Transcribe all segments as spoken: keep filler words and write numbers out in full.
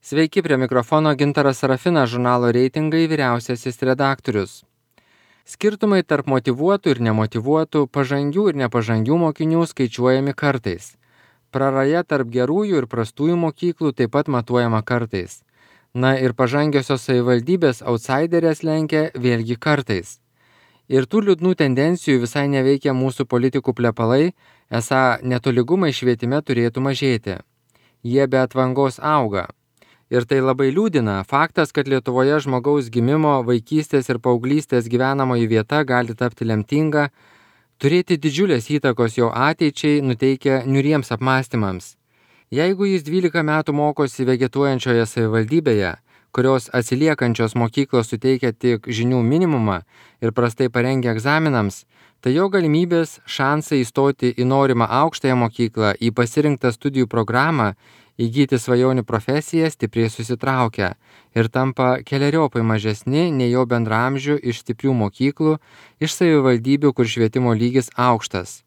Sveiki, prie mikrofono Gintaras Sarafinas, žurnalo Reitingai vyriausiasis redaktorius. Skirtumai tarp motyvuotų ir nemotyvuotų, pažangių ir nepažangių mokinių skaičiuojami kartais. Praraja tarp gerųjų ir prastųjų mokyklų taip pat matuojama kartais. Na ir pažangiosios savivaldybės outsiderės lenkia vėlgi kartais. Ir tų liūdnų tendencijų visai neveikia mūsų politikų plepalai, esą netolygumai švietime turėtų mažėti. Jie be atvangos auga. Ir tai labai liūdina faktas, kad Lietuvoje žmogaus gimimo, vaikystės ir paauglystės gyvenamoji vieta gali tapti lemtinga, turėti didžiulės įtakos jo ateičiai, nuteikia niuriems apmąstymams. Jeigu jis dvylika metų mokosi vegetuojančioje savivaldybėje, kurios atsiliekančios mokyklos suteikia tik žinių minimumą ir prastai parengia egzaminams, tai jo galimybės, šansai įstoti į norimą aukštąją mokyklą, į pasirinktą studijų programą, įgyti svajonių profesiją stipriai susitraukia ir tampa keleriopai mažesni nei jo bendraamžių iš stiprių mokyklų, iš savivaldybių, kur švietimo lygis aukštas.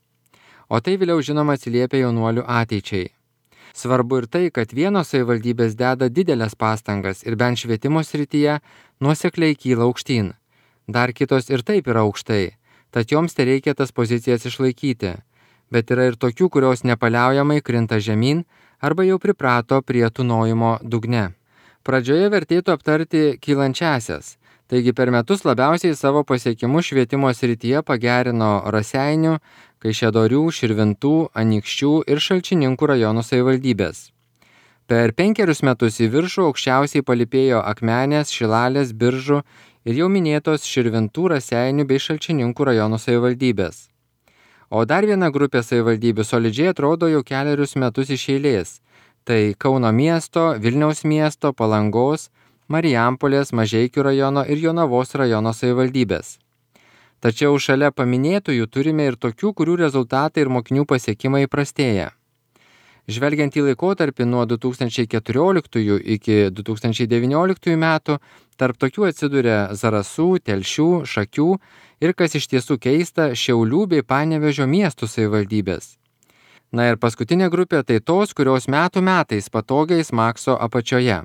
O tai vėliau žinoma atsiliepia jaunuolių ateičiai. Svarbu ir tai, kad vienos savivaldybės deda didelės pastangas ir bent švietimo srityje nuosekliai kyla aukštyn. Dar kitos ir taip yra aukštai, tad joms tereikia tas pozicijas išlaikyti. Bet yra ir tokių, kurios nepaliaujamai krinta žemyn arba jau priprato prie tūnojimo dugne. Pradžioje vertėtų aptarti kylančiasias. Taigi per metus labiausiai savo pasiekimus švietimo srityje pagerino Raseinių, Kaišiadorių, Širvintų, Anykščių ir Šalčininkų rajonų savivaldybės. Per penkerius metus į viršų aukščiausiai palypėjo Akmenės, Šilalės, Biržų ir jau minėtos Širvintų, Raseinių bei Šalčininkų rajonų savivaldybės. O dar viena grupė savivaldybių solidžiai atrodo jau kelerius metus iš eilės. Tai Kauno miesto, Vilniaus miesto, Palangos, Marijampolės, Mažeikių rajono ir Jonavos rajono savivaldybės. Tačiau šalia paminėtųjų turime ir tokių, kurių rezultatai ir mokinių pasiekimai prastėja. Žvelgiant į laikotarpį nuo du tūkstančiai keturioliktųjų iki du tūkstančiai devynioliktųjų metų, tarp tokių atsiduria Zarasų, Telšių, Šakių ir, kas iš tiesų keista, Šiaulių bei Panevėžio miestų savivaldybės. Na ir paskutinė grupė tai tos, kurios metų metais patogiai smakso apačioje.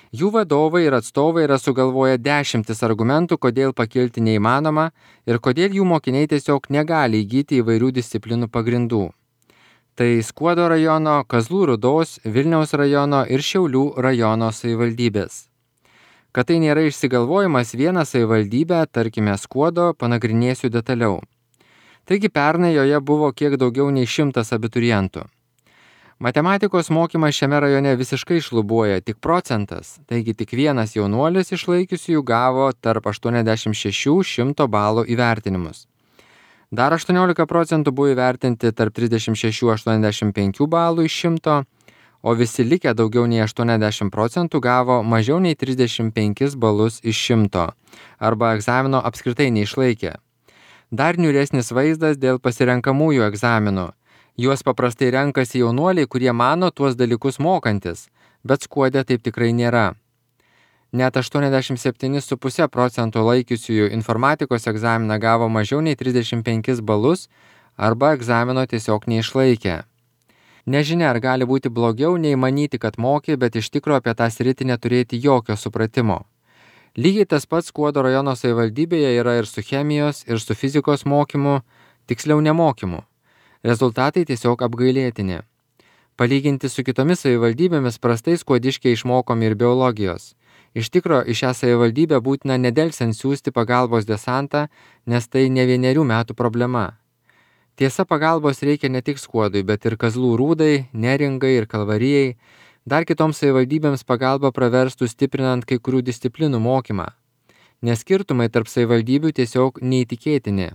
Jų vadovai ir atstovai yra sugalvoję dešimtis argumentų, kodėl pakilti neįmanoma ir kodėl jų mokiniai tiesiog negali įgyti įvairių disciplinų pagrindų. Tai Skuodo rajono, Kazlų Rūdos, Vilniaus rajono ir Šiaulių rajono savivaldybės. Kad tai nėra išsigalvojimas vieną savivaldybę, tarkime Skuodo, panagrinėsiu detaliau. Taigi pernai joje buvo kiek daugiau nei šimtas abiturientų. Matematikos mokymas šiame rajone visiškai šlubuoja tik procentas, taigi tik vienas jaunuolis išlaikiusiųjų gavo tarp aštuoniasdešimt šešių šimto balų įvertinimus. Dar aštuoniolika procentų buvo įvertinti tarp trisdešimt šešių aštuoniasdešimt penkių balų iš šimto, o visi likę daugiau nei aštuoniasdešimt procentų gavo mažiau nei trisdešimt penkis balus iš šimto, arba egzamino apskritai neišlaikė. Dar niūresnis vaizdas dėl pasirenkamųjų egzaminų. Juos paprastai renkasi jaunuoliai, kurie mano tuos dalykus mokantis, bet Skuode taip tikrai nėra. Net aštuoniasdešimt septyni su puse procento laikiusiųjų informatikos egzaminą gavo mažiau nei trisdešimt penkis balus arba egzamino tiesiog neišlaikė. Nežinia, ar gali būti blogiau nei manyti, kad moki, bet iš tikro apie tą sritį neturėti jokio supratimo. Lygiai tas pats Skuodo rajono savivaldybėje yra ir su chemijos, ir su fizikos mokymu, tiksliau nemokymu. Rezultatai tiesiog apgailėtini. Palyginti su kitomis savivaldybėmis prastai skuodiškiai išmokomi ir biologijos. Iš tikro, į šią savivaldybę būtina nedelsiant siųsti pagalbos desantą, nes tai ne vienerių metų problema. Tiesa, pagalbos reikia ne tik Skuodui, bet ir Kazlų Rūdai, Neringai ir Kalvarijai. Dar kitoms savivaldybėms pagalba praverstų stiprinant kai kurių disciplinų mokymą. Nes skirtumai tarp savivaldybių tiesiog neįtikėtini.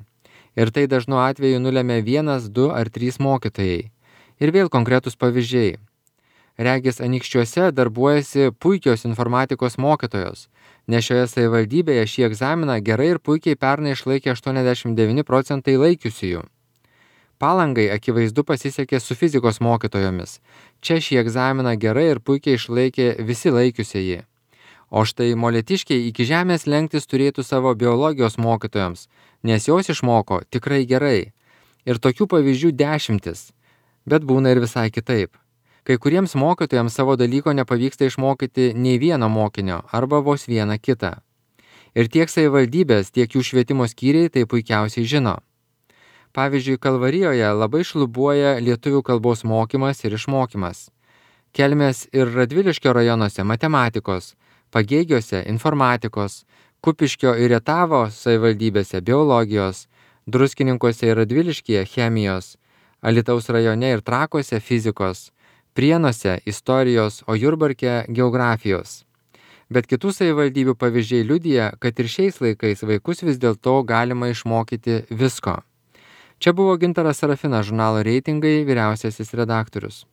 Ir tai dažnu atveju nulemia vienas, du ar trys mokytojai. Ir vėl konkretus pavyzdžiai. Regis Anykščiuose darbuojasi puikios informatikos mokytojos, nes šioje savivaldybėje šį egzaminą gerai ir puikiai pernai išlaikė aštuoniasdešimt devyni procentai laikiusiųjų. Palangai akivaizdu pasisekė su fizikos mokytojomis. Čia šį egzaminą gerai ir puikiai išlaikė visi laikiusieji. O štai molėtiškiai iki žemės lenktis turėtų savo biologijos mokytojams, nes jos išmoko tikrai gerai. Ir tokių pavyzdžių dešimtis, bet būna ir visai kitaip. Kai kuriems mokytojams savo dalyko nepavyksta išmokyti nei vieno mokinio arba vos vieną kitą. Ir tiek savivaldybės, tiek jų švietimo skyriai tai puikiausiai žino. Pavyzdžiui, Kalvarijoje labai šlubuoja lietuvių kalbos mokymas ir išmokymas. Kelmės ir Radviliškio rajonuose matematikos, Pagėgiuose informatikos, Kupiškio ir Rietavo savivaldybėse biologijos, Druskininkuose ir Radviliškyje chemijos, Alytaus rajone ir Trakuose fizikos, Prienuose istorijos, o Jurbarke geografijos. Bet kitų savivaldybių pavyzdžiai liudija, kad ir šiais laikais vaikus vis dėlto galima išmokyti visko. Čia buvo Gintaras Sarafinas, žurnalo Reitingai vyriausiasis redaktorius.